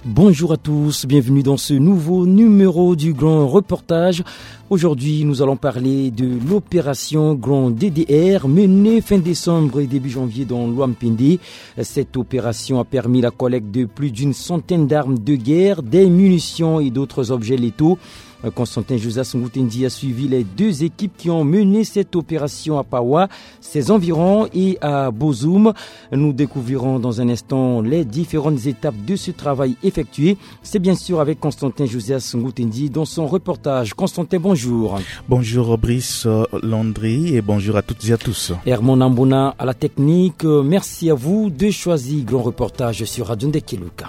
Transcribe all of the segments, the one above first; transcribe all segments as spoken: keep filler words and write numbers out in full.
Bonjour à tous, bienvenue dans ce nouveau numéro du Grand Reportage. Aujourd'hui, nous allons parler de l'opération Grand D D R menée fin décembre et début janvier dans Loampende. Cette opération a permis la collecte de plus d'une centaine d'armes de guerre, des munitions et d'autres objets létaux. Constantin Josas Ngoutendi a suivi les deux équipes qui ont mené cette opération à Pawa, ses environs et à Bozoum. Nous découvrirons dans un instant les différentes étapes de ce travail effectué. C'est bien sûr avec Constantin Josas Ngoutendi dans son reportage. Constantin, bonjour. Bonjour Brice, euh, Landry, et bonjour à toutes et à tous. Herman Ambona à la technique, euh, merci à vous de choisir Grand Reportage sur Radio Ndekeluka.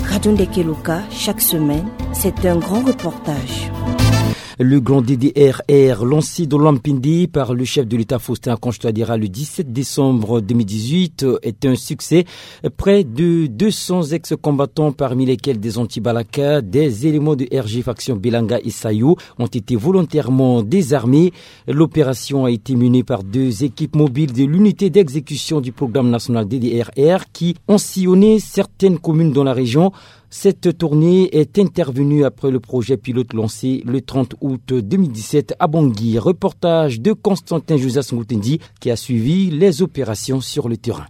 Radio Ndekeluka, chaque semaine, c'est un grand reportage. Le Grand D D R R, lancé dans Loampende par le chef de l'État Faustin Archange Touadéra le dix-sept décembre deux mille dix-huit, est un succès. Près de deux cents ex-combattants, parmi lesquels des anti-Balaka, des éléments de R G faction Belanga et Sayo, ont été volontairement désarmés. L'opération a été menée par deux équipes mobiles de l'unité d'exécution du programme national D D R R qui ont sillonné certaines communes dans la région. Cette tournée est intervenue après le projet pilote lancé le trente août deux mille dix-sept à Bangui. Reportage de Constantin Josas Ngoutendi qui a suivi les opérations sur le terrain.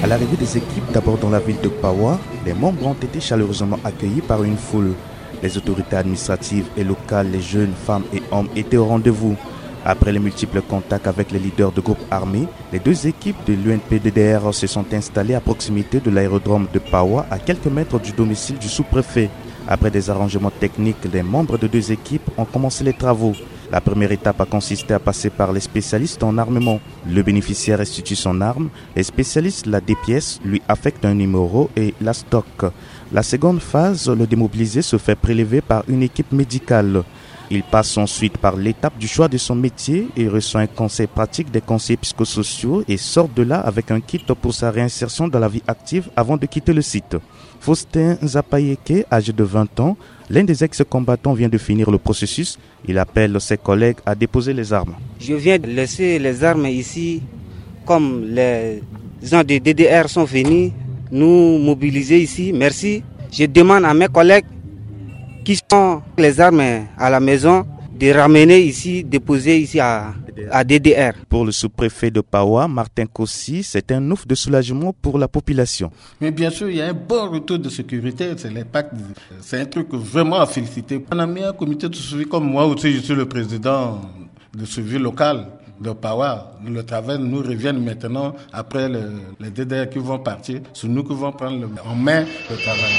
À l'arrivée des équipes, d'abord dans la ville de Pawa, les membres ont été chaleureusement accueillis par une foule. Les autorités administratives et locales, les jeunes, femmes et hommes étaient au rendez-vous. Après les multiples contacts avec les leaders de groupes armés, les deux équipes de l'U N P D D R se sont installées à proximité de l'aérodrome de Pawa, à quelques mètres du domicile du sous-préfet. Après des arrangements techniques, les membres de deux équipes ont commencé les travaux. La première étape a consisté à passer par les spécialistes en armement. Le bénéficiaire restitue son arme, les spécialistes la dépiècent, lui affectent un numéro et la stockent. La seconde phase, le démobilisé se fait prélever par une équipe médicale. Il passe ensuite par l'étape du choix de son métier et reçoit un conseil pratique des conseillers psychosociaux et sort de là avec un kit pour sa réinsertion dans la vie active avant de quitter le site. Faustin Zapayeke, âgé de vingt ans, l'un des ex-combattants, vient de finir le processus. Il appelle ses collègues à déposer les armes. Je viens de laisser les armes ici, comme les gens de D D R sont venus nous mobiliser ici. Merci. Je demande à mes collègues qui sont les armes à la maison de ramener ici, déposer ici à, à D D R. Pour le sous-préfet de Pawa, Martin Kossi, c'est un ouf de soulagement pour la population. Mais bien sûr, il y a un bon retour de sécurité, c'est l'impact, c'est un truc vraiment à féliciter. On a mis un comité de suivi, comme moi aussi, je suis le président de suivi local de Pawa. Le travail nous revient maintenant après le, les D D R qui vont partir, c'est nous qui vont prendre le, en main le travail.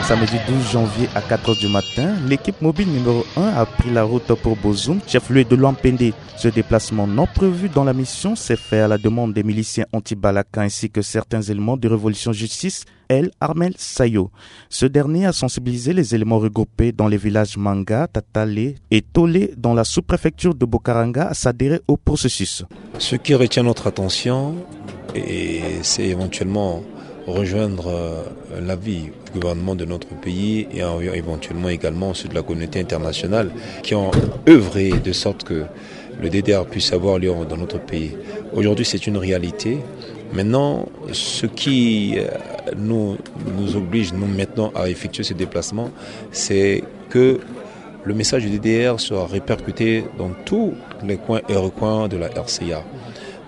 Samedi douze janvier à quatre heures du matin, l'équipe mobile numéro un a pris la route pour Bozoum, chef-lieu de Loampende. Ce déplacement non prévu dans la mission s'est fait à la demande des miliciens anti-Balaka ainsi que certains éléments de Révolution Justice, El Armel Sayo. Ce dernier a sensibilisé les éléments regroupés dans les villages Manga, Tatale et Tolé dans la sous-préfecture de Bokaranga à s'adhérer au processus. Ce qui retient notre attention, et c'est éventuellement rejoindre, euh, l'avis du gouvernement de notre pays et en, éventuellement également ceux de la communauté internationale qui ont œuvré de sorte que le D D R puisse avoir lieu dans notre pays. Aujourd'hui, c'est une réalité. Maintenant, ce qui, euh, nous, nous oblige, nous, maintenant, à effectuer ce déplacement, c'est que le message du D D R sera répercuté dans tous les coins et recoins de la R C A.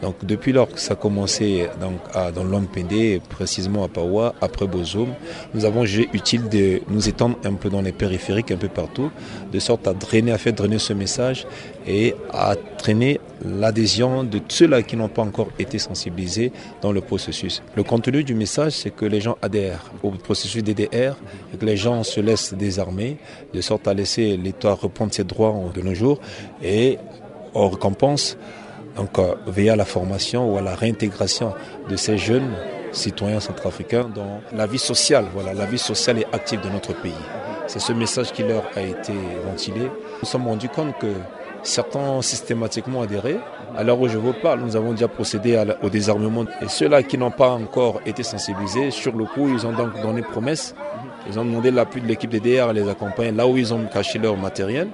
Donc, depuis lors que ça a commencé, donc, à, dans Loampende, précisément à Pawa, après Bozoum, nous avons jugé utile de nous étendre un peu dans les périphériques, un peu partout, de sorte à drainer, à faire drainer ce message et à traîner l'adhésion de ceux-là qui n'ont pas encore été sensibilisés dans le processus. Le contenu du message, c'est que les gens adhèrent au processus D D R et que les gens se laissent désarmer, de sorte à laisser l'État reprendre ses droits de nos jours et on récompense, donc, euh, veiller à la formation ou à la réintégration de ces jeunes citoyens centrafricains dans la vie sociale, voilà, la vie sociale et active de notre pays. C'est ce message qui leur a été ventilé. Nous nous sommes rendus compte que certains ont systématiquement adhéré. À l'heure où je vous parle, nous avons déjà procédé à la- au désarmement. Et ceux-là qui n'ont pas encore été sensibilisés, sur le coup, ils ont donc donné promesse. Ils ont demandé l'appui de l'équipe des D R à les accompagner là où ils ont caché leur matériel,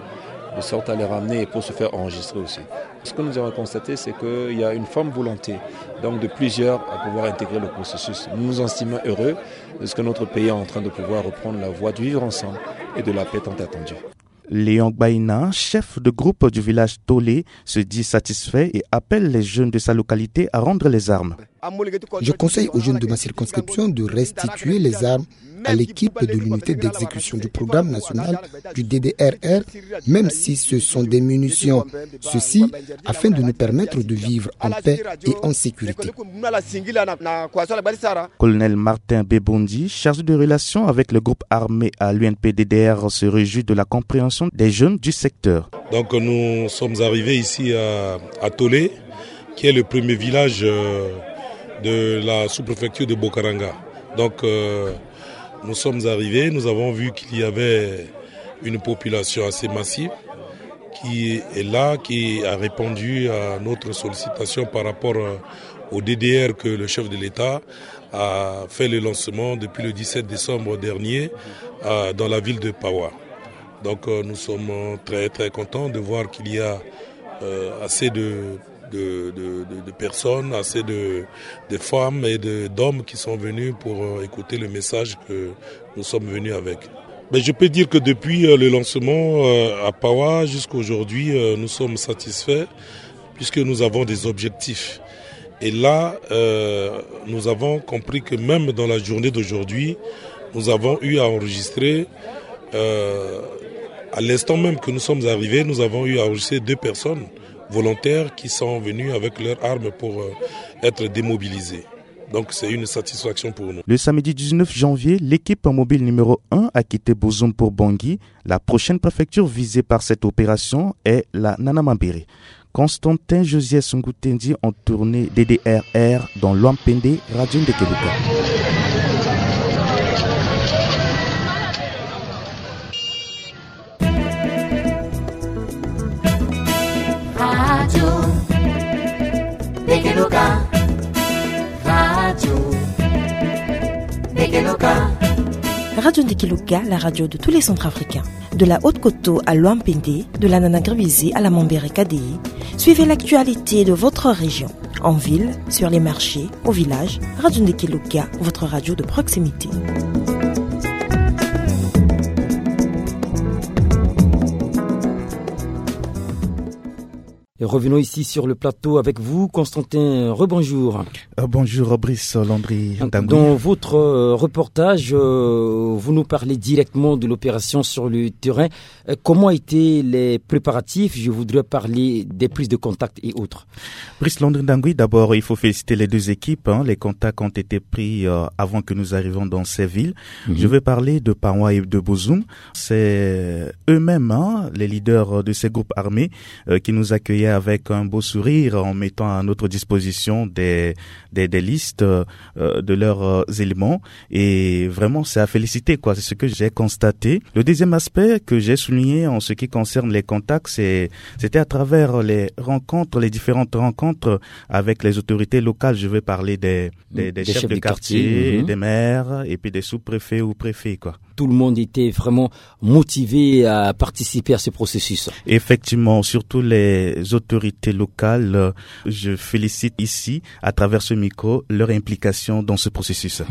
de sorte à les ramener et pour se faire enregistrer aussi. Ce que nous avons constaté, c'est qu'il y a une ferme volonté donc de plusieurs à pouvoir intégrer le processus. Nous nous estimons heureux de ce que notre pays est en train de pouvoir reprendre la voie du vivre ensemble et de la paix tant attendue. Léon Gbaïna, chef de groupe du village Tolé, se dit satisfait et appelle les jeunes de sa localité à rendre les armes. Je conseille aux jeunes de ma circonscription de restituer les armes à l'équipe de l'unité d'exécution du programme national du D D R R, même si ce sont des munitions. Ceci afin de nous permettre de vivre en paix et en sécurité. Colonel Martin Bebondi, chargé de relations avec le groupe armé à l'U N P D D R, se réjouit de la compréhension des jeunes du secteur. Donc nous sommes arrivés ici à, à Tolé, qui est le premier village euh, de la sous-préfecture de Bokaranga. Donc euh, nous sommes arrivés, nous avons vu qu'il y avait une population assez massive qui est là, qui a répondu à notre sollicitation par rapport euh, au D D R que le chef de l'État a fait le lancement depuis le dix-sept décembre dernier euh, dans la ville de Pawa. Donc euh, nous sommes très très contents de voir qu'il y a euh, assez de, de, de, de- de personnes, assez de, de femmes et de- d'hommes qui sont venus pour euh, écouter le message que nous sommes venus avec. Mais je peux dire que depuis euh, le lancement euh, à Pawa jusqu'aujourd'hui, euh, nous sommes satisfaits puisque nous avons des objectifs. Et là, euh, nous avons compris que même dans la journée d'aujourd'hui, nous avons eu à enregistrer, euh, à l'instant même que nous sommes arrivés, nous avons eu à enregistrer deux personnes volontaires qui sont venues avec leurs armes pour euh, être démobilisées. Donc c'est une satisfaction pour nous. Le samedi dix-neuf janvier, l'équipe mobile numéro un a quitté Bozoum pour Bangui. La prochaine préfecture visée par cette opération est la Nanamambéré. Constantin Josias Ngoutendi en tournée D D R R dans Loampende, Radio Ndekeluka. Radio Ndekeluka. Radio Ndekeluka. Radio Ndekeluka, la radio de tous les Centrafricains. De la Haute-Koto à Loampende, de la Nana Gribizé à la Mambere Kadéhi, suivez l'actualité de votre région. En ville, sur les marchés, au village, Radio Ndekeluka, votre radio de proximité. Et revenons ici sur le plateau avec vous, Constantin. Rebonjour. Euh, bonjour, Brice Landry Ndangui. Dans votre euh, reportage, euh, vous nous parlez directement de l'opération sur le terrain. Euh, comment étaient les préparatifs ? Je voudrais parler des prises de contact et autres. Brice Landry Ndangui, d'abord, il faut féliciter les deux équipes, hein. Les contacts ont été pris euh, avant que nous arrivions dans ces villes. Mhm. Je vais parler de Pawa et de Bozoum. C'est eux-mêmes, hein, les leaders de ces groupes armés, euh, qui nous accueillaient avec un beau sourire en mettant à notre disposition des, des, des listes euh, de leurs euh, éléments. Et vraiment, c'est à féliciter, quoi. C'est ce que j'ai constaté. Le deuxième aspect que j'ai souligné en ce qui concerne les contacts, c'est, c'était à travers les rencontres, les différentes rencontres avec les autorités locales. Je vais parler des, des, des chefs de quartier, mhm, des maires et puis des sous-préfets ou préfets, quoi. Tout le monde était vraiment motivé à participer à ce processus. Effectivement, surtout les autorités locales, euh, je félicite ici, à travers ce micro, leur implication dans ce processus.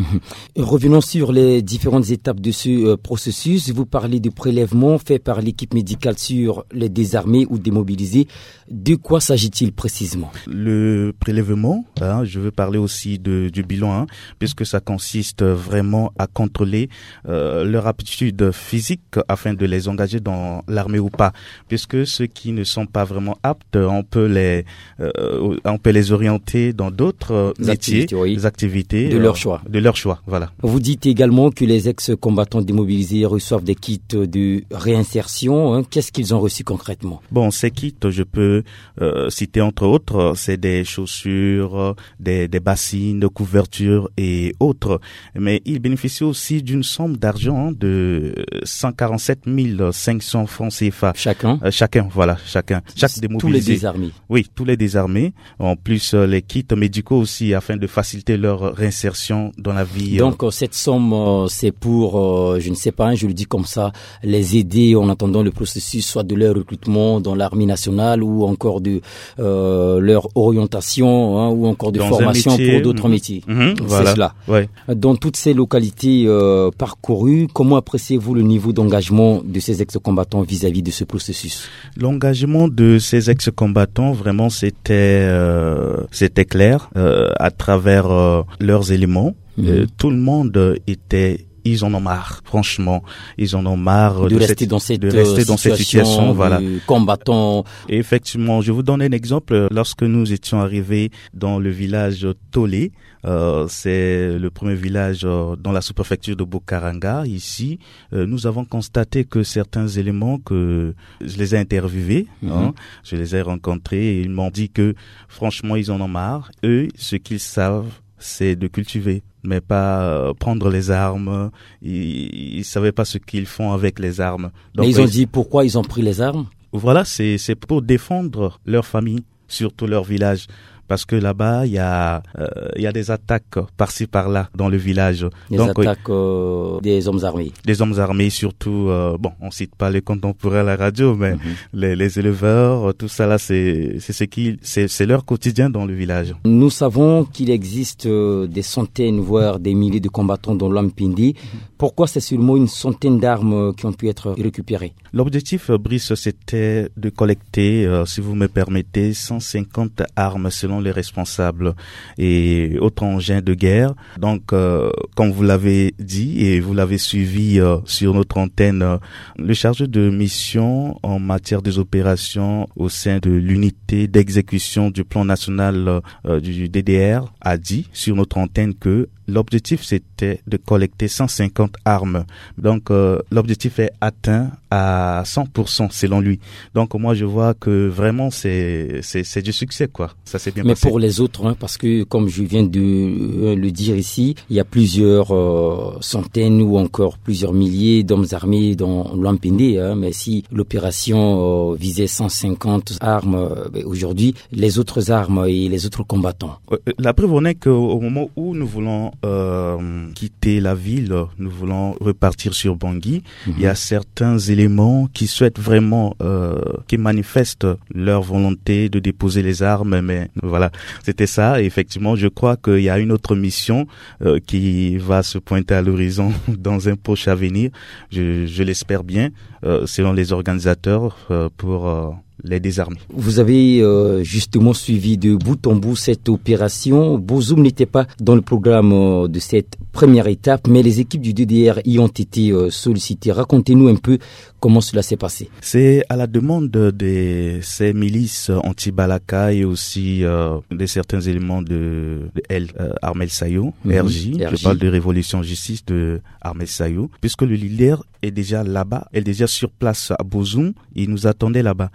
Revenons sur les différentes étapes de ce euh, processus. Vous parlez du prélèvement fait par l'équipe médicale sur les désarmés ou démobilisés. De quoi s'agit-il précisément ? Le prélèvement, hein, je veux parler aussi de, du bilan, hein, puisque ça consiste vraiment à contrôler euh, leur aptitude physique afin de les engager dans l'armée ou pas. Puisque ceux qui ne sont pas vraiment aptes, on peut les, euh, on peut les orienter dans d'autres euh, métiers, activités, oui, des activités de leur choix. De leur choix, voilà. Vous dites également que les ex-combattants démobilisés reçoivent des kits de réinsertion, hein. Qu'est-ce qu'ils ont reçu concrètement ? Bon, ces kits, je peux euh, citer entre autres, c'est des chaussures, des, des bassines, couvertures et autres. Mais ils bénéficient aussi d'une somme d'argent, hein, de cent quarante-sept mille cinq cents francs C F A. Chacun ? Euh, chacun, voilà, chacun. Chaque démobilisé. Tous les désarmés ? Oui, tous les désarmés. En plus, euh, les kits médicaux aussi, afin de faciliter leur réinsertion dans la vie. Donc, euh, cette somme, euh, c'est pour, euh, je ne sais pas, hein, je le dis comme ça, les aider en attendant le processus, soit de leur recrutement dans l'armée nationale ou encore de euh, leur orientation, hein, ou encore de formation pour d'autres métiers. Mhm, c'est cela. Ouais. Dans toutes ces localités euh, parcourues, comment appréciez-vous le niveau d'engagement de ces ex-combattants vis-à-vis de ce processus ? L'engagement de ces ex-combattants, vraiment, c'était euh, c'était clair euh, à travers euh, leurs éléments. Mhm. Euh, tout le monde était ils en ont marre, franchement. Ils en ont marre de, de rester cette, dans cette, de rester euh, dans cette situation, situation, voilà, de combattant. Et effectivement, je vous donne un exemple. Lorsque nous étions arrivés dans le village Tolé, euh, c'est le premier village euh, dans la sous-préfecture de Bokaranga. Ici, euh, nous avons constaté que certains éléments que je les ai interviewés, mhm, hein, je les ai rencontrés, et ils m'ont dit que franchement, ils en ont marre. Eux, ce qu'ils savent, c'est de cultiver, mais pas euh, prendre les armes. Ils ne savaient pas ce qu'ils font avec les armes. Donc, mais ils ont dit pourquoi ils ont pris les armes ? Voilà, c'est, c'est pour défendre leur famille, surtout leur village. Parce que là-bas, il y a, euh, il y a des attaques par-ci par-là dans le village. Des attaques euh, des hommes armés. Des hommes armés, surtout, euh, bon, on cite pas les contemporains à la radio, mais les, les éleveurs, euh, tout ça là, c'est, c'est ce qui, c'est, c'est leur quotidien dans le village. Nous savons qu'il existe euh, des centaines, voire des milliers de combattants dans l'Ampindi. Pourquoi c'est seulement une centaine d'armes euh, qui ont pu être récupérées ? L'objectif, euh, Brice, c'était de collecter, euh, si vous me permettez, cent cinquante armes selon les responsables et autres engins de guerre. Donc, euh, comme vous l'avez dit et vous l'avez suivi euh, sur notre antenne, euh, le chargé de mission en matière des opérations au sein de l'unité d'exécution du plan national euh, du D D R a dit sur notre antenne que l'objectif, c'était de collecter cent cinquante armes. Donc, euh, l'objectif est atteint à cent pour cent selon lui. Donc, moi, je vois que vraiment, c'est, c'est, c'est du succès, quoi. Ça s'est bien passé. Mais pour les autres, hein, parce que, comme je viens de euh, le dire ici, il y a plusieurs euh, centaines ou encore plusieurs milliers d'hommes armés dans l'Ampindi, hein, mais si l'opération euh, visait cent cinquante armes euh, ben, aujourd'hui, les autres armes et les autres combattants ? Euh, euh, la preuve en est qu'au au moment où nous voulons euh, quitter la ville, nous voulons repartir sur Bangui, il y a certains éléments qui souhaitent vraiment, euh, qui manifestent leur volonté de déposer les armes, mais voilà, c'était ça. Et effectivement, je crois qu'il y a une autre mission euh, qui va se pointer à l'horizon dans un proche avenir, je, je l'espère bien, euh, selon les organisateurs, euh, pour euh, les désarmer. Vous avez euh, justement suivi de bout en bout cette opération. Bozoum n'était pas dans le programme euh, de cette première étape, mais les équipes du D D R y ont été euh, sollicitées. Racontez-nous un peu comment cela s'est passé. C'est à la demande de ces milices anti-Balaka et aussi euh, de certains éléments de, de L, euh, Armel Sayo, R J. Je parle de Révolution Justice de Armel Sayo, puisque le leader est déjà là-bas, est déjà sur place à Bozoum. Ils nous attendaient là-bas.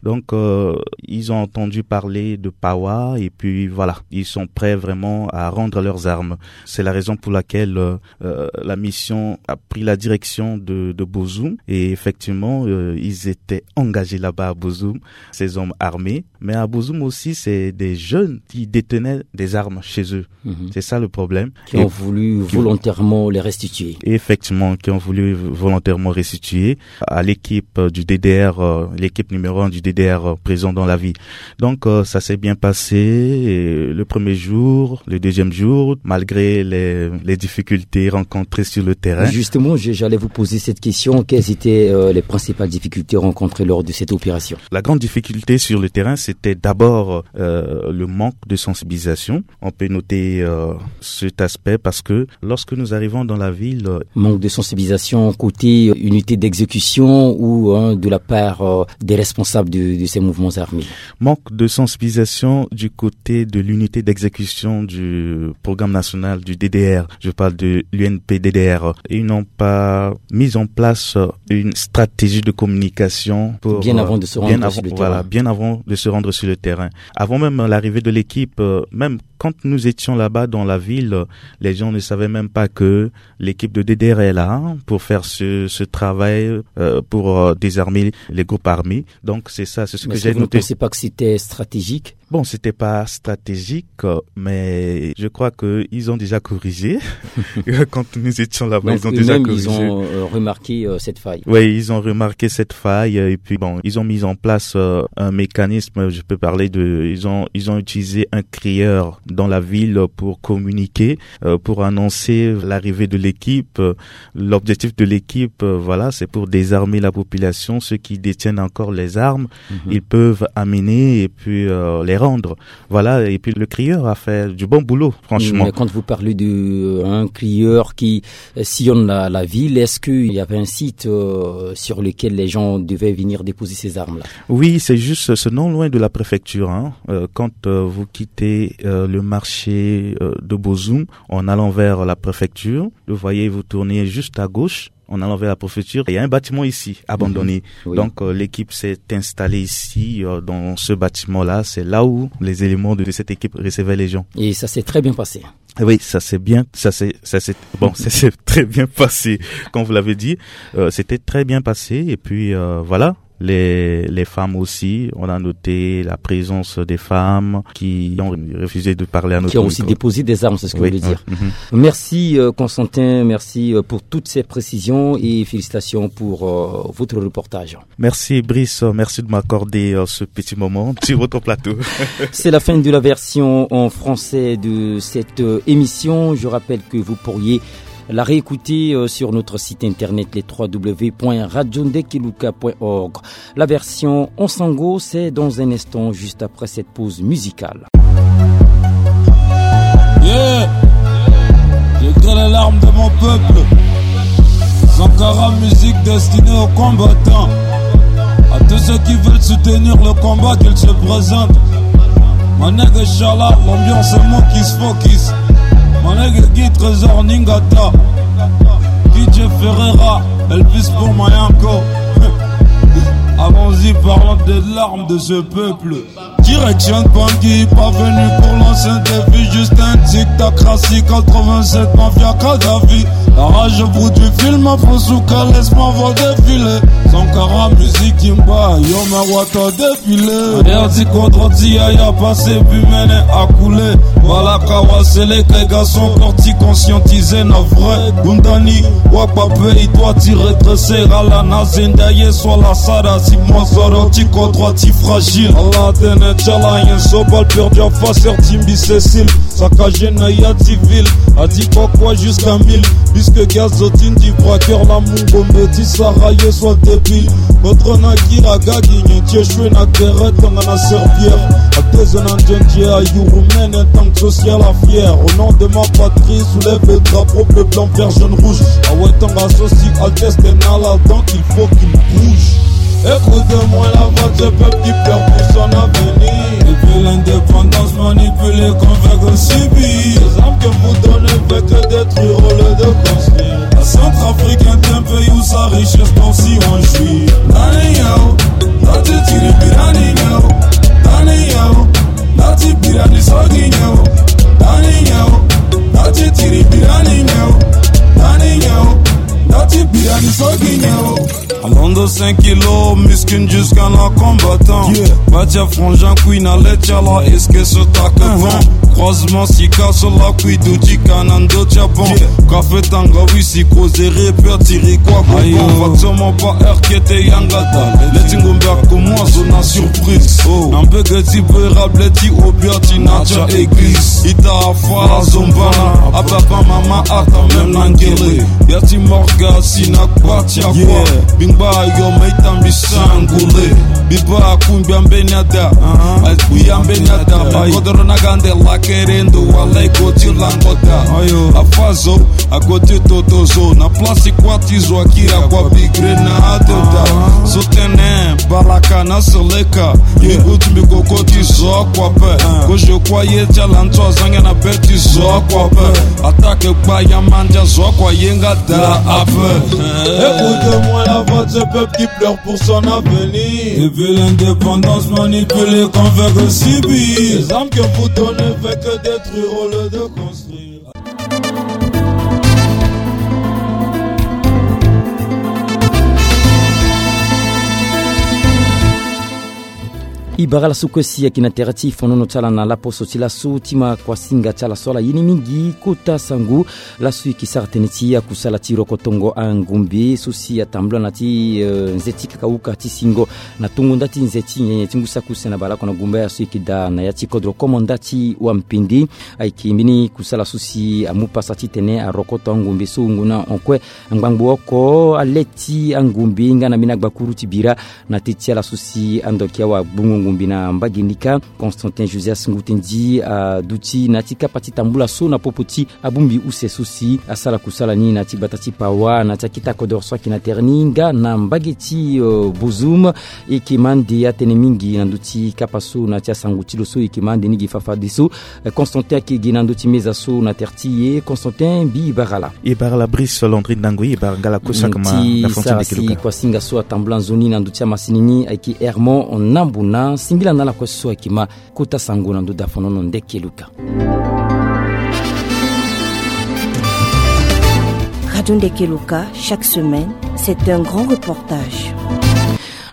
Donc, euh, ils ont entendu parler de Pawa et puis voilà, ils sont prêts vraiment à rendre leurs armes. C'est la raison pour laquelle euh, euh, la mission a pris la direction de, de Bozoum et effectivement, euh, ils étaient engagés là-bas à Bozoum, ces hommes armés. Mais à Bozoum aussi, c'est des jeunes qui détenaient des armes chez eux. C'est ça le problème. Qui ont voulu volontairement les restituer. Et effectivement, qui ont voulu volontairement restituer à l'équipe du D D R, euh, l'équipe numéro un du D D R euh, présent dans la ville. Donc, euh, ça s'est bien passé. Et le premier jour, le deuxième jour, malgré les, les difficultés rencontrées sur le terrain. Justement, je- j'allais vous poser cette question. Quelles étaient euh, les principales difficultés rencontrées lors de cette opération ? La grande difficulté sur le terrain, c'était d'abord euh, le manque de sensibilisation. On peut noter euh, cet aspect parce que lorsque nous arrivons dans la ville, euh, manque de sensibilisation côté euh, unité d'exécution ou hein, de la part euh, des responsables de, de ces mouvements armés. Manque de sensibilisation du côté de l'unité d'exécution du programme national du D D R. Je parle de l'U N P D D R. Ils n'ont pas mis en place euh, une stratégie de communication pour, bien euh, avant de se rendre bien sur avant, le voilà, terrain. Bien avant de se rendre sur le terrain. Avant même l'arrivée de l'équipe, euh, même quand nous étions là-bas dans la ville, les gens ne savaient même pas que l'équipe de D D R est là, hein, pour faire ce, ce travail, euh, pour, euh, désarmer les groupes armés. Donc c'est ça, c'est ce que j'ai noté. Est-ce que vous ne pensez pas que c'était stratégique ? Bon, c'était pas stratégique, euh, mais je crois que ils ont déjà corrigé. Quand nous étions là-bas, ils ont déjà corrigé. Donc eux-mêmes, ils ont, euh, remarqué, euh, cette faille. Oui, ils ont remarqué cette faille, euh, et puis bon, ils ont mis en place, euh, un mécanisme. Je peux parler de, ils ont, ils ont utilisé un crieur dans la ville pour communiquer, euh, pour annoncer l'arrivée de l'équipe. Euh, l'objectif de l'équipe, euh, voilà, c'est pour désarmer la population, ceux qui détiennent encore les armes, ils peuvent amener et puis, euh, les rendre. Voilà, et puis le crieur a fait du bon boulot, franchement. Mais quand vous parlez de, euh, un crieur qui, euh, sillonne la, la ville, est-ce qu'il y avait un site, euh, sur lequel les gens devaient venir déposer ces armes-là ? Oui, c'est juste, c'est non loin de la préfecture, hein. Euh, quand, euh, vous quittez, euh, le marché, euh, de Bozoum, en allant vers la préfecture, vous voyez, vous tournez juste à gauche. En allant vers la préfecture, il y a un bâtiment ici, abandonné. Oui. Donc, euh, l'équipe s'est installée ici, euh, dans ce bâtiment-là. C'est là où les éléments de, de cette équipe recevaient les gens. Et ça s'est très bien passé. Oui, ça s'est bien, ça s'est, ça s'est, bon, ça s'est très bien passé, comme vous l'avez dit. Euh, c'était très bien passé. Et puis, euh, voilà, les, les femmes aussi, on a noté la présence des femmes qui ont refusé de parler à notre micro. Qui ont aussi déposé des armes, c'est ce que vous voulez dire. Oui, oui. Merci, euh, Constantin, merci, euh, pour toutes ces précisions et félicitations pour, euh, votre reportage. Merci, Brice, merci de m'accorder, euh, ce petit moment sur votre plateau. C'est la fin de la version en français de cette, euh, émission. Je rappelle que vous pourriez la réécouter, euh, sur notre site internet, les trois w point radio ndekiluka point org. La version en sango, c'est dans un instant, juste après cette pause musicale. Yeah. J'ai dans les larmes de mon peuple. Sankara, musique destinée aux combattants, à tous ceux qui veulent soutenir le combat, qu'ils se présentent. Manègue Chala, l'ambiance est mokis fokis. Manègue Guy Trésor Ningata, D J Ferreira, Elvis pour Mayanko. Allons-y, parlons des larmes de ce peuple. Direction Bangui, pas venu pour lancer un défi, juste un tic-tac, Rassi quatre-vingt-sept, mafia Kadhafi. La rage au bout du film, Afrosuka, laisse-moi voir défiler. Sankara, musique Kimba, yo ma wata défilé. Air ti kodro ti yaya passé, puis mené à couler. Voilà, Kawa, c'est les gars sont sortis conscientisés, na vrai. Gundani, Wakpa, il doit t'y redresser. Ala na zendaye, soit la Sara, si moi, Zoro, ti kodro, ti fragile. Allah, tene, tchala, yen so, balle perdue, à face, timbi, Cécile. Saccagé na ya ti ville, a dit quoi quoi jusqu'à mille. Puisque gaz au tin du braqueur, la mungo me dit Sarah, ye soit débile. Votre na kira gagi, nyen ti échoué na guerre, tanga na serpillère. A deux ans en Dieu, Dieu a yuru mène, tant que social à fier. Au nom de ma patrie, soulève le drapeau bleu, blanc, vert, jaune, rouge. A ouais, tanga sosi, Altesse, t'es là, donc il faut qu'il bouge. Écoute-moi la voix de ce peuple qui pleure pour son avenir. Depuis l'indépendance manipulée comme vague au sibi. Les armes que vous donnez fait que détruire au lieu de construire. La Centrafrique est un pays où sa richesse dont si on jouit. Daniel, Dati Tiribirani, Daniel, Dati Birani Sogi, Daniel, Dati Tiribirani, Daniel, Dati Birani Sogi. Alondo cinq kilos, muskin jusqu'à la combattant. Yeah. Batia frangin, queen à l'Etchala, est-ce que ce tac bon? Croisement, sika, sur la cuite, du tika, nando, tiabon. Yeah. Café, tanga, oui, si, causé, répète, tiri, quoi, quoi, ayo. Fatsomo, pas R K T, yangata. Les tingumba, comme moi, zone à surprise. Oh. N'empêche que tu peux rappeler, tu obia, tu n'as pas église. Ita, afa, zombana, à papa, maman, ata, même l'angélé. Ya ti morga si na kpati akua. Yeah. Bingba yo ma itambi sangule. Biba kumbia mbeni ada. Uh-huh. Ai kuya mbeni ada. Ai. Kodoro na gande la kerendo wala i koti langoda. Ayo. Afazo, a koti totozo. Na place kwa ti zo akira kwa bigre na adoda. Uh-huh. Sotene, balaka na seleka. Yeah. Mbi kutu mbi koko ti zo akua pe. Uh. Ko je croyais ti ala nso azangi na be ti zo akua pe. Attaque kpa ya mandia zo akua yenga da ape. Écoute-moi la voix de ce peuple qui pleure pour son avenir. Et puis l'indépendance, man, Manipulé qu'on veut que subir. Les hommes que vous donnez veulent que détruire au lieu de construire. E bara laso kue si ayeke na tere ti fonono ti ala na laposo ti laso ti ma kuasinga ti ala so ala ye ni mingi kota sango. Laso e yeke sara tënë ti akusala ti rokotongo angombe so si atambula na ti, eh, nze ti kakauka ti singo na tongo nda ti nze ti nyenye ti ngu saki use na baleoko na gumbaya so e yeke daa na ya ti kodro komanda ti wampende. Ayeke mbeni kusala so si amu pasa titene arokoto angombe so wungo na hon kue ngbangbo oko ale ti angombe nga na mbeni agbakuru ti bira. Na teti ala so si ando ayeke awagbungo ngombe na mbage ni kâ, Constantin Josias Ngutendi aduti na ya ti kapa ti tambula so na popo ti abongbi use so si asara kusala ni na ya ti gbata ti Pawa na ya ti akita kodoro so ayeke na tere ni nga na mbage ti, eh, Bozoum. E yeke ma nde atene mingi na ndö ti kapa so na ya ti asango ti lo so e yeke ma nde ni gi fafadeso. Eh, Constantin ayeke gi na ndö ti meza so na tere ti e. Constantin, mbi bara ala. E bara ala Brice Landry Ndangui, e bara nga ala kue so ayeke ma na fond ti sara si kuasinga so atambula nzoni na ndö ti amasini ni ayeke Hermon Nambuna. Simbila na ala kue so ayeke ma kota sango na ndö daa fonono ndeke luka. Radio Ndeke Luka, chaque semaine, c'est un grand reportage.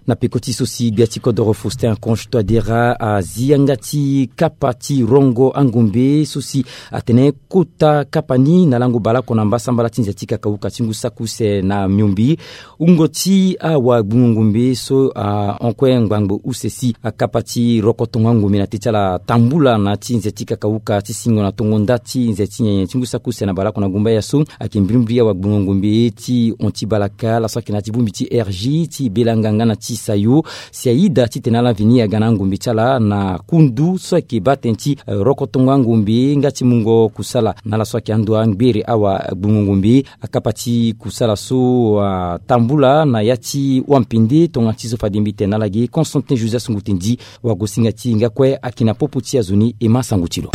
Na peko ti so si gbia ti kodoro Faustin Archange Touadéra azi yanga ti kapa ti rongo angombe so si atene kota kapa ni na lango baleoko na mbasambala ti nze ti kakauka ti ngu saki use na miombe. Wungo ti awagbungo ngombe so ahon kue ngbangbo use si akapa ti rokotongo angombe na teti ala tambula na ti nze ti kakauka ti singo na tongo nda ti nze ti nyenye ti ngu saki use na baleoko na gumbaya so ayeke mbirimbiri awagbungo ngombe ti hon ti balaka laso ayeke na ya ti bongbi ti R G ti belanga nga na ti sayo. Si ayida titene ala veni aga na angombe ti ala na kundu so ayeke baa tënë ti, eh, rokotongo angombe nga ti mungo kusala na ala so ayeke ando angbere awagbungo ngombe. Akapa ti kusala so atambula na ya ti wampende tongana ti so fade mbi tene na ala ge Constantin Josias Ngutendi. Wagosinga ti e nga kue ayeke na popo ti azo ni, e ma sango ti lo.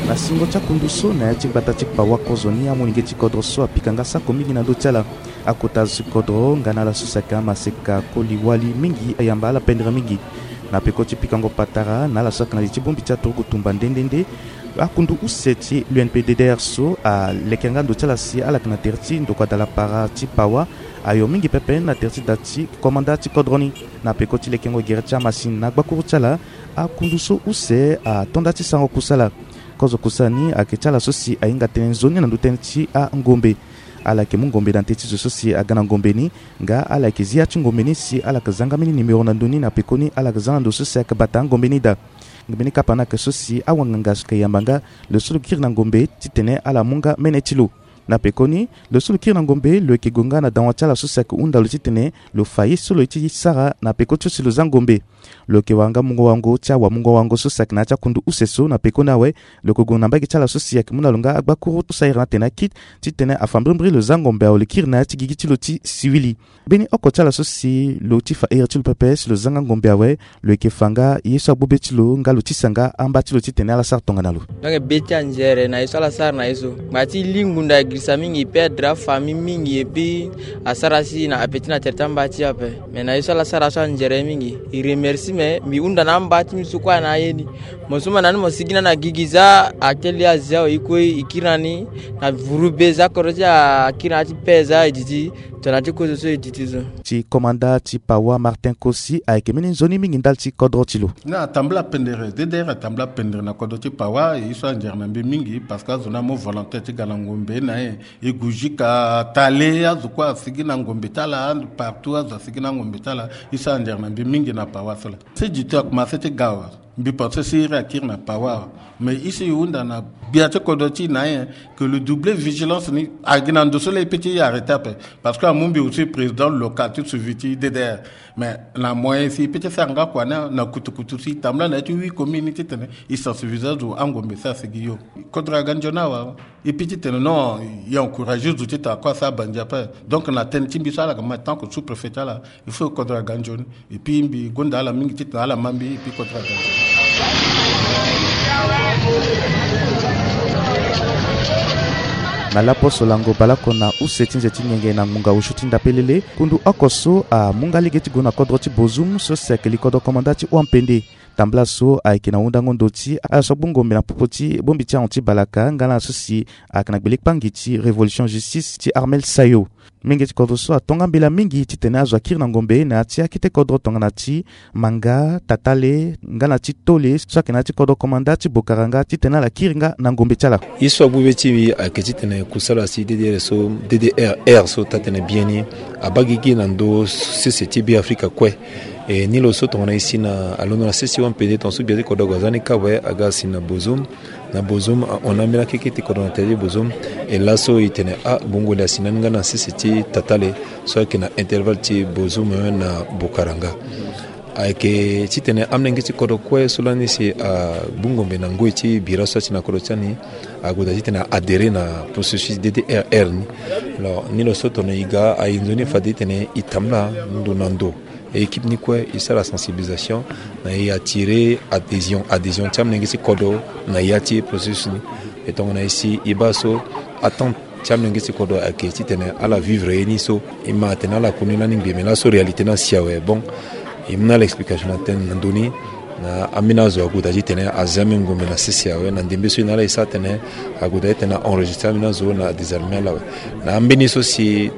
Na singo ti akundu so na ya ti gbata ti Pawa kozoni amolenge ti kodro so apika nga sako mingi na ndö ti ala. Akota azo ti kodro nga na ala so si ayeke amaseka koli wali mingi ayamba ala pendere mingi. Na peko ti pikango patara na ala so ayeke na li ti bongbi ti aturugu tumba nde nde nde, akundu use ti l'U N P D D R so aleke nga ndo ti ala si ala yeke na tere ti ndokua dala para ti Pawa. Ayo mingi pepe na tere ti da ti komanda ti kodro ni. Na peko ti lekengo gere ti amasini na agbakuru ti ala, akundu so use ato nda ti sango kusala. Kozo kusala ni ayeke ti ala so si ahinga tënë nzoni na ndö tënë ti angombe. Ala yeke mu ngombe na teti zo so si aga na ngombe ni. Nga ala yeke zi ya ti ngombe ni si ala yeke za nga mbeni nimero na ndo ni na pekoni ala yeke za na ndo so si ayeke bata angombe ni daa. Mbeni kapa ni ayeke so si awanganga so yeke yamba nga lo so lo kiri na ngombe titene ala mu nga mene ti lo. Na pekoni lo so lo kiri na ngombe lo yeke gue nga na dawa ti ala so si ayeke hunda lo titene lo fa ye so lo ye ti sara na peko ti so si lo za ngombe. Lo yeke wara nga mungo wango ti awamungo wango so si ayeke na ya ti akundu use so na pekoni awe. Lo yeke gue na mbage ti ala so si ayeke mu na lo nga agbakuru so ayere na atene akit titene afa mbirimbiri lo za ngombe awe lo kiri na ya ti gigi ti lo ti siwili. Mbeni oko ti ala so si lo ti fa here ti lo pepe si lo za nga ngombe awe. Lo yeke fa nga ye so agbu be ti lo nga lo tisa nga amba ti lo titene ala sara tongana lo. Donc be ti anzere na ye so ala sara na ye so ngba ti li ngunda e girisa mingi e perdre afamille mingi et puis asara si na apeti na tere ti amba ti ape. Mais na ye so ala sara so anzere mingi e remercie mais mbi hunda na amba ti mbi so kue na aye ni. Mo so mo na ni mo sigi na ni na gigi za ate li azi awe e kue e kiri na ni na vuru be za kodro ti akiri na ya ti pe za e didi. Tongana ti kozo so e didi so. Ti komanda ti Pawa Martin Kosi ayeke mbeni nzoni mingi ndali ti kodro ti lo. Na atambula pendere D D R atambula pendere na kodro ti Pawa e ye so anzere na mbi mingi parce que azo ni amu volonté ti ga na ngombe na e. E gue jusqu'à Tale azo kue asigi na ngombe ti ala partout azo asigi na ngombe ti ala. E so anzere na mbi mingi na Pawa so laa. Ti dito akomanse ti ga awe. Mbi pense si iri akiri na Pawa awe. Mais e si e hunda na gbia ti kodro ti e na e que lo double vigilance ni agi na ndo so laa e pe ti e arrêté ape. Parce que amu mbi aussi président local ti suivi ti D D R. Mais na moyen si e pe ti sara nga kua ni na kutukutu si e tambula na ya ti huit commune ni titene e sensibiliser azo angombe so asigi yo. Kodro aga nzoni awe. E pe titene non e encourager zo titene akue asara banzi ape. Donc na tënë ti mbi so ala yeke ma tant que sous préfet ti ala. Il faut kodro aga nzoni. Et puis mbi gonda ala mingi titene ala ma mbi et puis kodro aga nzoni. Na laposo lango baleoko na use ti nze ti nginge na ngbonga osio ti ndapelele, kundu oko so amu nga lege ti gue na kodro ti Bozoum so si ayeke li kodro komanda ti Wampende. Tambala so ayeke na hundango ndo ti ala so agbu ngombe na popo ti bongbi ti ahon ti balaka nga na ala so si ayeke na gbele kpangi ti Révolution Justice ti Armel Sayo. Menge ti kodro so ato nga mbela mingi titene azo akiri na ngombe na ya ti akete kodro tongana ti Manga, Tatale nga na ti Tole so ayeke na ya ti kodro komanda ti Bokaranga titene ala kiri nga na ngombe ti ala. Ye so agbu be ti mbi ayeke titene kusala si D D R so, D D R R so taa-tënë biani abaa gigi na ndö sese ti Beafrika kue. E ni lo so tongana e si na alondo na sese ti Wampende tongaso gbia ti kodro ague aza ni kâ awe aga asi na Bozoum. Na Bozoum ahon na ambeni akeke ti kodro na tere ti Bozoum. E laso e tene ah, bongo li asi na ni nga na sese ti Tatale so ayeke na intervalle ti Bozoum na Bokaranga. Ayeke titene amolenge ti kodro kue so lani si agbu ngombe na ngoi ti bira so asi na kodro ti ani ague daa titene a adhérer na processus D D R R ni. Alors ni lo so tongana e ga aye nzoni fade titene e tambula ndo na ndo. E équipe ni kue e sara sensibilisation na e attirer adhésion, adhésion ti amolenge ti kodro na ya ti processus ni. E tongana e si e baa so attente ti amolenge ti kodro ayeke titene ala vivre ye ni so. E ma atene ala koni lani ngbii me laso réalité ni asi awe. Bon, e mu na ala explication na tënë na ndö ni. Na ambeni azo ague daa titene azi ambeni ngombe na sese awe na ndembe so e na ala e sara tene ague daa titene a enregistrer ambeni azo na adésarmer ala awe. Na ambeni so si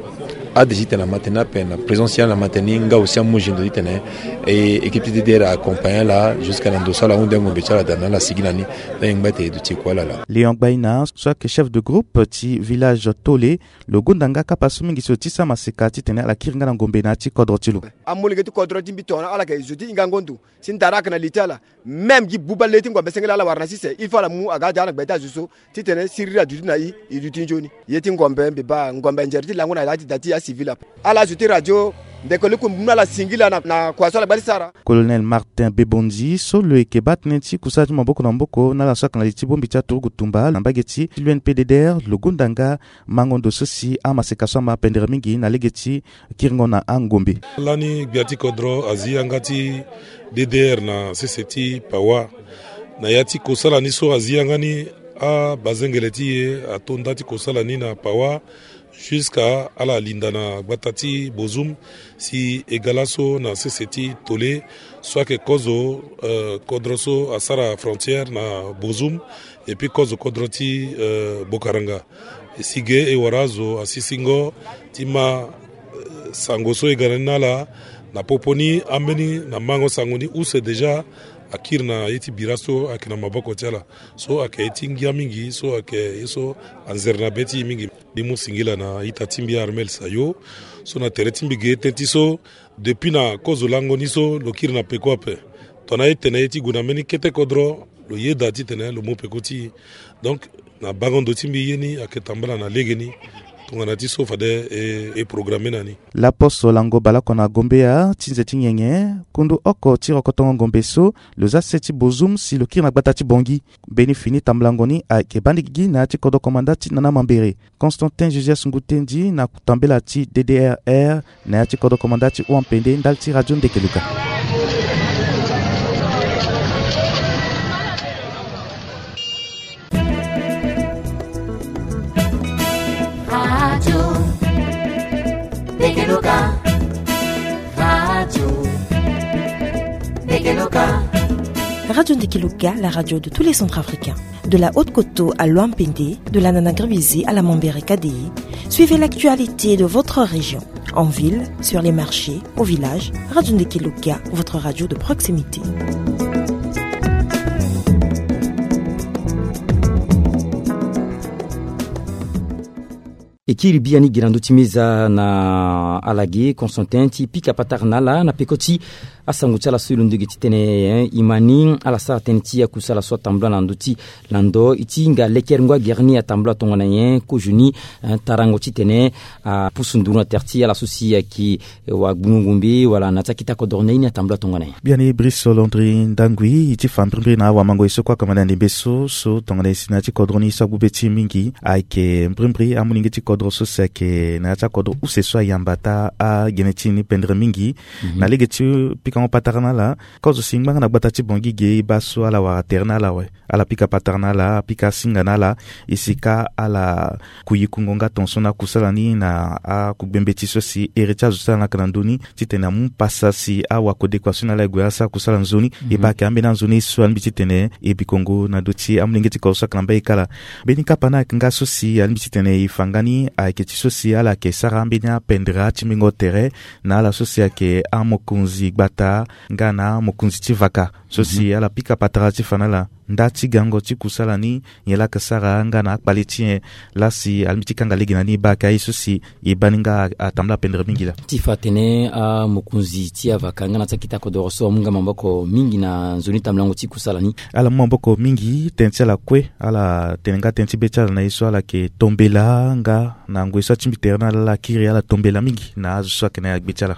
ade titene ama tene ape na présence ti ala ama tene ni nga aussi amu gi ndo titene e équipe ti D D R a accompagner ala jusqu'à na ndo so ala hunde ngombe ti ala daa na ala sigi na ni. Na e ngba ete e duti e kue ala laa. Léon Gbaina so ayeke chef de groupe ti village Tole, lo gonda nga kapa so mingi so ti sara maseka titene ala kiri nga na ngombe na ya ti kodro ti lo. Amolenge ti kodro ti mbi tongana ala yeke zo ti hingango ndo si ndara ayeke na li ti ala. Même gi buba le ti ngombe sengela ala wara na sese il faut ala mu aga ade ala gbe ti azo so titene siriri aduti na e, e duti nzoni. Ye ti ngombe mbi baa ngombe nzere ti lango na ya ti da ti acivil ape. Ala zo ti radio ndeke luku mu na ala singila na, na kua so ala gba ti sara. Colonel Martin Bebondi so lo yeke baa tënë ti kusala ti maboko na maboko na ala so ayeke na li ti bongbi ti aturugu tumba na mbage ti l'U N P D D R, lo gonda nga mango ndo so si amaseka so ama pendere mingi na lege ti kiringo na angombe. Lani gbia ti kodro azi yanga ti D D R na sese ti Pawa. Na ya ti kosala ni so azi yanga ni, abazengele ti e ato nda ti kosala ni na Pawa jusqu'à ala linda na gbata ti Bozoum si e ga laso na sese ti Tole so ayeke kozo, eh, kodro so asara frontière na Bozoum, et puis kozo kodro ti, eh, Bokaranga. E si ge e wara azo asisingo ti ma, eh, sango so e ga na ni na ala. Na popo ni ambeni na mango sango ni use déjà akiri na ye ti bira so ayeke na maboko ti ala. So ayeke ye ti ngia mingi so ayeke ye so anzere na be ti e mingi. Mbi mu singila na ita ti mbi Armel Sayo so na tere ti mbi ge tënë ti so depuis na kozo lango ni so lo kiri na peko ape. Tongana e tene ye ti gue na mbeni kete kodro lo yeda titene lo mu peko ti e. Donc na bango ndo ti mbi ye ni ayeke tambala na legeni. Tongana ti so fade e, e programme na ni. Laposo lango baleoko na Gombeya ti nze ti nyenye, kundu oko ti rokotongo ngombe so lo za se ti Bozoum si lo kiri na gbata ti Bangui. Mbeni fini tambulango ni ayeke baa ni gigi na ya ti kodro komanda ti Nana Mambere. Constantin Josias Ngutendi na tambela ti D D R R na ya ti kodro komanda ti Wampende ndali ti Radio Ndekeluka. Radio Ndekeluka. Radio Ndekeluka. Radio Ndekeluka, la radio de tous les Centrafricains. De la Haute-Koto à Loampende, de la Nana Gribizi à la Mambere Kadéi, suivez l'actualité de votre région. En ville, sur les marchés, au village, Radio Ndekeluka, votre radio de proximité. E kiri biani gi na ndö ti meza na ala ge Constantin ti pika patara na ala na peko ti asango ti ala so e londo ge ti tene, eh, e ma ni ala sara tënë ti akusala so atambula na ndö ti lando e ti hinga lekerengo agere ni atambula tongana nyen, kozo ni, eh, tarango titene apusu nduru na tere ti ala so si ayeke, eh, wagbungo ngombe wala na ti akete kodoro ni aye ni atambula tongana nyen. Biani Brice Landry Ndangui e ti fa mbrimbri na awamango e so kue akamanda ndembe so, so tongana e si na ya ti kodro ni so agbu be ti e mingi ayeke mbrimbri amolenge ti kodro so si ayeke na ya ti akodro use so ayamba taa agene ti e ni pendere mingi. Na lege ti pikango patara na ala, kozo si ngbanga na gbata ti Bangui ge e baa so ala wara tere na ala awe. Ala pika patara na ala, apika asinga na ala, e si ka ala kuyikungo nga tongaso na akusala ni na akugbembeti so si ere ti azo ti ala na yeke na ndö ni, titene amu pasa si awakode kua so na ala e gue asara kusala nzoni. E baa ayeke ambeni anzoni so alingbi titene e bikongo na ndö ti amolenge ti kodro so ayeke na mbage kala. Mbeni kapa ni ayeke nga so si alingbi titene e fa nga ni ayeke ti so si ala yeke sara ambeni apendere atimbingo tere na ala so si ayeke amokonzi gbata nga na amokonzi ti vaka. So si ala pika patara ti fa na ala, nda ti gango ti kusala ni nyen laa ayeke sara nga na akpale ti nyen laa si alingbi ti kanga lege na ni, e baa ayeke aye so si e baa ni nga atambula pendere mingi laa. Ti fa atene amokonzi ti avaka nga na ti akita kodoro so amu nga maboko mingi na nzoni tambulango ti kusala ni. Ala mu maboko mingi, tënë ti ala kue, ala tene nga tënë ti be ti ala na ye so ala yeke tombela nga na ngoi so atingbi tere na ala, ala kiri, ala tombela mingi na azo so ayeke na ya gbe ti ala.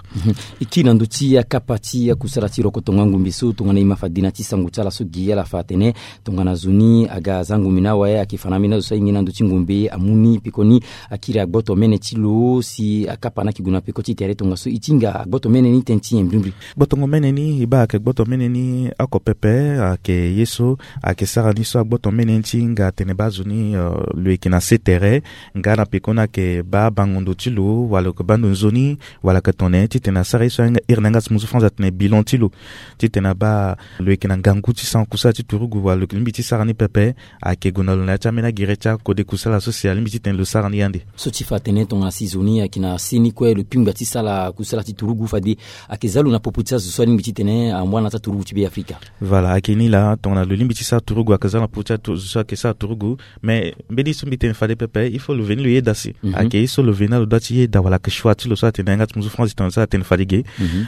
E kiri na ndö ti akapa ti akusala ti rokotongo angombe so tongana e ma fade na ti sango ti ala so gi ala fa atene tongana zo ni aga aza ngombe ni awe, ayeke fa na ambeni azo so ahinga na ndö ti ngombe amu ni pekoni akiri agboto mene ti lo si akapa ni ayeke gue na peko ti tere tongaso e ti hinga agboto mene ni tënë ti nyen mbrimbri. Gbotongo mene ni, e baa ayeke gboto mene ni oko pepe, ayeke ye so ayeke sara ni so agboto mene ni ti hinga atene baa zo ni, eh, lo yeke na se tere nga na pekoni ayeke baa bango ndo ti lo wala lo yeke baa ndo nzoni, wala ayeke tongana nyen, titene asara ye so ahinga iri na yanga ti muzu France atene bilan ti lo, titene abaa lo yeke na ngangu ti sara kusala ti turugu wala lo lingbi ti sara ni pepe, ayeke gue na lo na ya ti ambeni agere ti akode kusala so si alingbi titene lo sara ni ande. So ti fa atene tongana si zo ni ayeke na se ni kue lo pingba ti sara kusala ti turugu fade ayeke za lo na popo ti azo so alingbi titene amu ala na ti aturugu ti Be Afrika. Voilà, ayeke ni laa, tongana lo lingbi ti sara turugu ayeke za na popo ti azo so ayeke sara turugu. Mais mbeni so mbi tene fade pepe, il faut lo veni lo yeda si ayeke ye so lo veni na lo doit ti yeda wala ayeke choix ti lo so atene na yanga ti muzu France tongana so atene fade ge.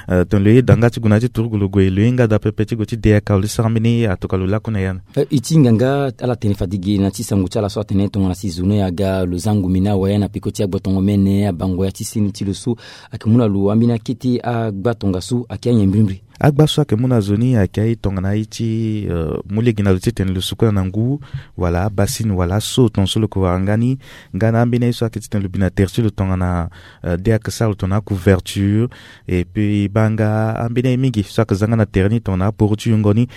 Euh, tongana lo yeda nga ti gue na ya ti turugu lo gue, lo ye nga daa pepe ti gue ti de aka wala ti sara mbeni ye, atoka lo lakue na ya ni. Eh, e ti hinga nga ala tene fade ge na ti sango ti ala so atene tongana si zo ni aga lo za ngombe ni awe na peko ti agbotongo mene, abango ya ti seni ti lo so ayeke mu na lo ambeni akete agba tongaso ayeke anyen mbrimbri. Agba so ayeke mu na zo ni ayeke aye tongana aye ti, euh, mu lege na lo titene lo sukula na ngu, wala abasini wala aso tongaso lo yeke wara nga ni, nga na ambeni aye so ayeke titene lo bi na tere ti lo tongana, euh, de ayeke sara lo tongana acouverture. Et puis e baa nga ambeni aye mingi so ayeke za nga na tere ni tongana aporo ti yongo ni.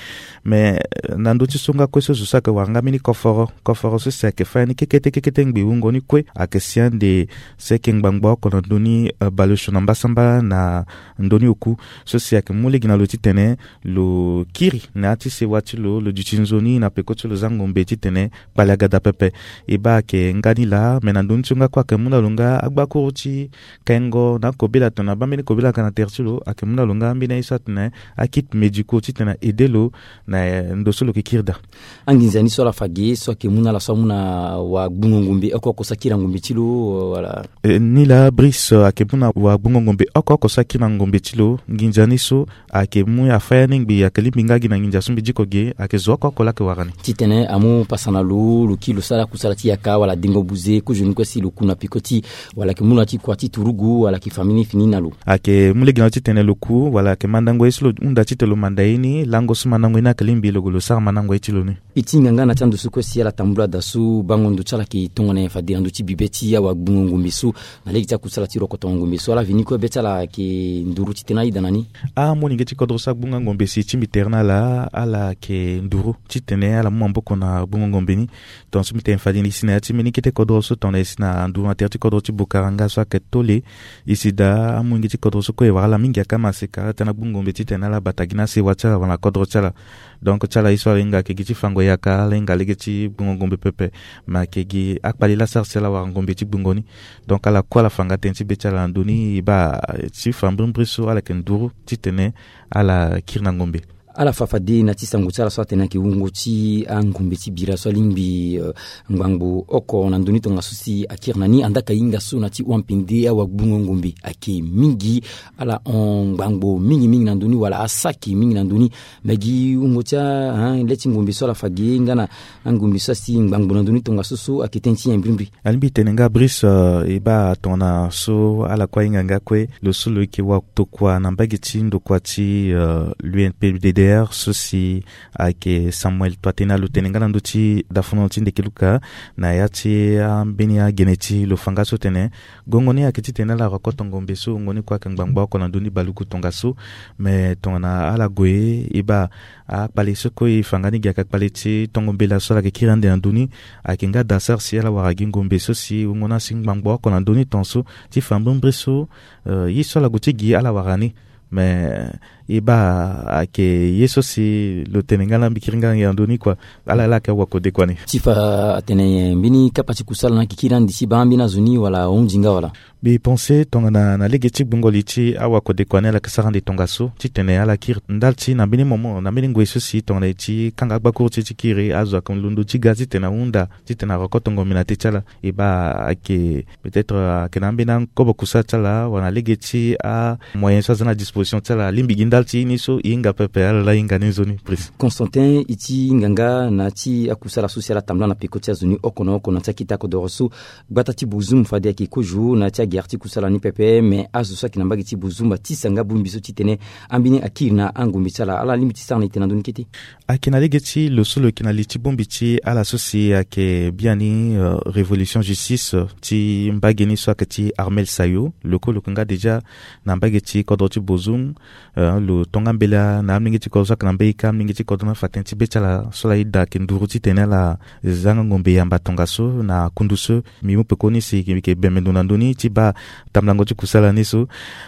Mais, euh, na ndö ti so nga kue so zo so ayeke wara nga mbeni koforo, koforo so si ayeke fâ ya ni kekete kekete ngbe wungo ni kue ayeke si ande seke ngbangbo oko na ndö ni, euh, baleosio na mbasambala na ndö ni oku. So si ayeke mu lege na lo titene lo kiri na ya ti sewa ti lo, lo duti nzoni na peko ti lo za ngombe titene kpale aga daa pepe. E baa ayeke nga ni laa, me na ndö ni so nga kue ayeke mu na lo nga agbakuru ti kengo na akobela tongana abaa mbeni kobela aga na tere ti lo, ayeke mu na lo nga ambeni aye so atene akit médicaux titene aide lo na, eh, ndo so lo yeke kiri daa. Anginza ni so ala fa ge so ayeke mu na ala so amu na wagbungo ngombe oko oko so akiri na ngombe ti lo, euh, wala? Eh, ni laa Brice, euh, ayeke mu na wagbungo ngombe oko oko so akiri na ngombe ti lo. Nginza ni so ayeke mu afâ ya ni ngbi, ayeke lingbi nga gi na nginza so mbi diko ge, ayeke zo oko oko laa ayeke wara ni. Titene amu pasa na lo, lo kiri lo sara kusala ti yaka wala dengo buze, kozoni kue si lo ku na peko ti, wala ayeke mu na ti kua ti turugu, wala ayeke fa mbeni fini na lo. Ayeke mu lege na lo titene lo ku, wala ayeke mandango ye so lo hunda titene lo manda ye ni, lango so mandango ye ni ayeke lingbi lo gue lo sara mandango ye ti lo ni. E ti hinga nga na ti ando so kue si ala tambula daa so bango ndo ti ala ayeke tongana nyen fade na ndö ti bibe ti awagbungo ngombe so, na lege ti akusala ti rokotongo ngombe so, ala veni kue be ti ala ayeke nduru titene ayeda na ni. Amolenge ti kodro so agbunga ngombe si e tingbi tere na ala, ala yeke nduru titene ala mu maboko na gbungo ngombe ni. Tongaso mbi tene fade ni e si na ya ti mbeni kete kodro so tongana e si na nduru na tere ti kodro ti Bokaranga so ayeke Tole. E si daa amolenge ti kodro so kue e wara ala mingi akamaseka tënë na gbungo ngombe titene ala bata gi na asewa ti ala wala na kodro ti ala. Donc ti ala ye so ala hinga ayeke gi ti fango yaka, ala hinga lege ti gbungo ngombe pepe. Me ayeke gi akpale laa asara si ala wara ngombe ti gbungo ni. Donc ala kue ala fa nga tënë ti be ti ala na ndö ni, e baa ti fa mbrimbri so ala yeke nduru titene ala kiri na ngombe. Ala fa fade na ti sango ti ala so atene ayeke wungo ti angombe ti bira so alingbi, euh, ngbangbo oko na ndö ni tongaso si akiri na ni, andaa ka hinga so na ti wapende awagbungo ngombe ayeke mingi. Ala hon ngbangbo mingi mingi na ndö ni wala asaki mingi na ndö ni. Me gi wungo ti a, hein, le ti ngombe so ala fa ge nga na angombe so asi ngbangbo na ndö ni tongaso so ayeke tënë ti nyen mbrimbri? Alingbi tene nga Brice, euh, e baa tongana so ala kue ahinga nga kue, lo so lo yeke watokua na mbage ti ndokua ti, euh, l'U N P D D. Pierre so si ayeke Samuel Toitena, lo tene nga na ndö ti dafono ti Ndekeluka na ya ti ambeni agene ti lo fa nga so tene gongo ni ayeke titene ala rokoto ngombe so wungo ni kue ayeke ngbangbo oko na ndö ni baluku tongaso. Me tongana ala gue e baa akpale so kue e fa nga ni gi ayeke akpale ti tongo mbela so ala yeke kiri ande na ndö ni. Ayeke nga daa sara si ala wara gi ngombe so si wungo ni asi ngbangbo oko na ndö ni tongaso ti fa mbrimbri so, eh, ye so ala gue ti gi ala wara ni. Me e baa ayeke ye so si lo tene nga na mbi kiri nga na ndö ni kua. Ala ala ayeke awakodekua ni. Ti fa atene mbeni kapa ti kusala ni ayeke kiri ande ti baa mbeni azo ni wala ahunzi nga wala? Mbi pense tongana na lege ti gbungo li ti awakodekua ni ala yeke sara ande tongaso titene ala kiri ndali ti na mbeni moment na mbeni ngoi so si tongana e ti kanga agbakuru ti e ti kiri azo ayeke londo ti ga titene ahunda titene arokoto ngombe na te ti ala. E baa ayeke peut-être ayeke na ambeni akobo kusala ti ala wala na lege ti amoyen so aza na disposition ti ala alingbi gi ndali ti ye ni so e hinga pepe ala laa hinga ni nzoni prise. Constantin, e ti hinga nga na ya ti akusala so si ala tambula na peko ti azo ni oko na oko na ya ti akete akodoro so gbata ti Bozoum fade ayeke kozo na ya ti agere ti kusala ni pepe. Me azo so ayeke na mbage ti Bozoum atisa nga bongbi so titene ambeni akiri na angombe ti ala. Ala lingbi ti sara na ete na ndö ni kete? Ayeke na lege ti lo so lo yeke na li ti bongbi ti ala so si ayeke biani, euh, Révolution Justice, euh, ti mbage ni so ayeke ti Armel Sayo. Lo kue lo yeke nga déjà na mbage ti kodro ti Bozoum. Euh, lo tonga mbela na amolenge ti kodro so ayeke na mbage ka, amolenge ti kodro ni afa tënë ti be ti ala so ala yeda ayeke nduru titene ala za nga ngombe yamba tongaso na kundu so. Mbi mu peko ni si mbi yeke bembe ndo na ndö ni ti baa tambulango ti kusala ni so.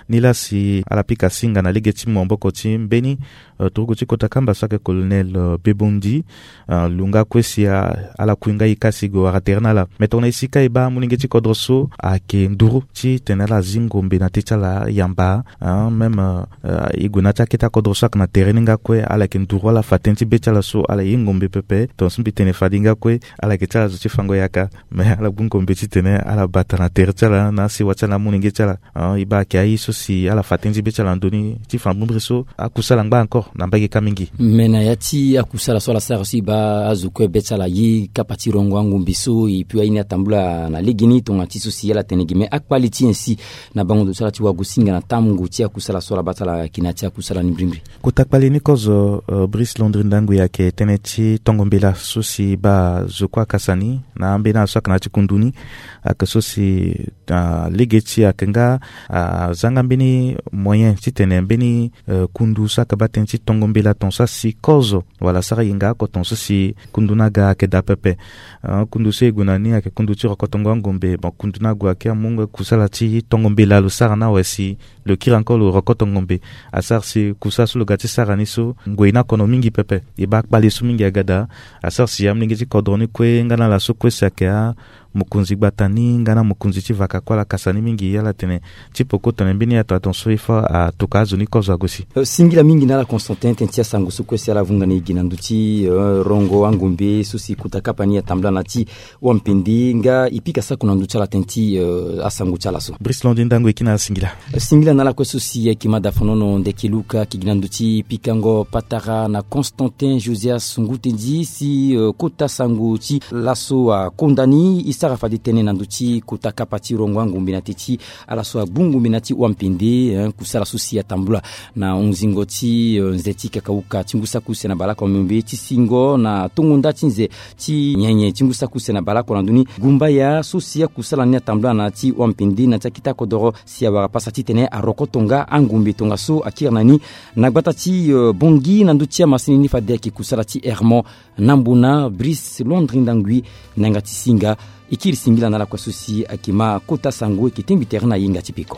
Nilaa si ala pika singa na lege ti maboko ti mbeni, euh, turugu ti kota kamba so ayeke colonel, euh, Bebondi. Euh, lo nga kue si, euh, ala kui nga e ka si e gue wara tere na ala. Me tongana e si ka e baa amolenge ti kodro so ayeke nduru titene ala zi ngombe na te ti ala yamba, hein, même, euh, euh, e gue na ya ti akete akodro so ayeke na tere ni nga kue ala yeke nduru ala fa tënë ti be ti ala so ala ye ngombe pepe. Tongaso mbi tene fade nga kue ala yeke ti ala zo ti fango yaka. Me ala gbu ngombe titene ala bata na tere ti ala na asewa ti ala na amolenge ti ala. Ah, e baa ayeke aye so si ala fa tënë ti be ti ala na ndö ni ti fa mbrimbri so akusala angba encore na mbage ka mingi. Me na ya ti akusala so ala sara so e baa azo kue be ti ala ye kapa ti rongo angombe so, e puis aye ni atambula na legeni tongana ti so si ala tene gi. Me akpale ti nyen si na bango ndo so ala ti wago singa na tango ti akusala so ala baa ti ala yeke na ya ti akusala ni mbrimbri? Kota kpale ni kozo, euh, Brice Landry Ndangui, ayeke tënë ti tongo mbela so si baa zo kue akasa ni na ambeni ala so ayeke na ya ti kundu ni. Ayeke so si, ah, lege ti ayeke nga, ah, aza nga mbeni moyen titene mbeni, euh, kundu so ayeke baa tënë ti tongo mbela tongaso asi kozo wala asara yenga oko tongaso si kundu ni aga ayeke daa pepe. Ah, kundu so e gue na ni ayeke kundu ti rokotongo angombe. Bon, kundu ni ague ayeke amu nga kusala ti tongo mbela lo sara ni awe si lo kiri encore lo rokoto ngombe. Asara si kusala so lo ga ti sara ni so ngoi ni akono mingi pepe. E baa akpale so mingi aga daa. Asara si amolenge ti kodro ni kue nga na ala so kue si ayeke amokonzi gbata ni nga na amokonzi ti vaka kue ala kasa ni mingi. Ala tene ti poko tene mbeni ato aton so il faut atoka azo ni kozo ague si. Euh, singila mingi na ala Constantin tene ti asango so kue si ala vunga na e gi na ndö ti, euh, rongo angombe so si kota kapa ni atambula na ti Wampende nga e pika sako na ndö ti ala tënë ti, euh, asango ti ala so. Brice Landry Ndangui, e kiri na ala singila. Singila na ala kue so si ayeke ma dafonono Ndekeluka, ayeke gi na ndö ti pikango patara na Constantin Josias Ngutendi si, euh, kota sango ti laso akonda ni. E sara fade tënë na ndö ti kota kapa ti rongo angombe na te ti ala so agbu ngombe na ti Wampende, hein, kusala so si atambula na hunzingo ti, euh, nze ti kakauka ti ngu saki use na baleoko na miombe ti singo na tongo nda ti nze ti nyenye ti ngu saki use na baleoko na ndö ni. Gumbaya so si akusala ni atambula na ti Wampende na ti akete akodoro si awara pasa titene arokoto nga angombe tongaso akiri na ni na gbata ti, euh, Bongi na ndö ti amasini ni fade ayeke kusala ti Hermon Nambona. Brice Landry Ndangui na yanga ti singa. E kiri singila na ala kue so si ayeke ma kota sango, e yeke tengbi tere na yenga ti peko.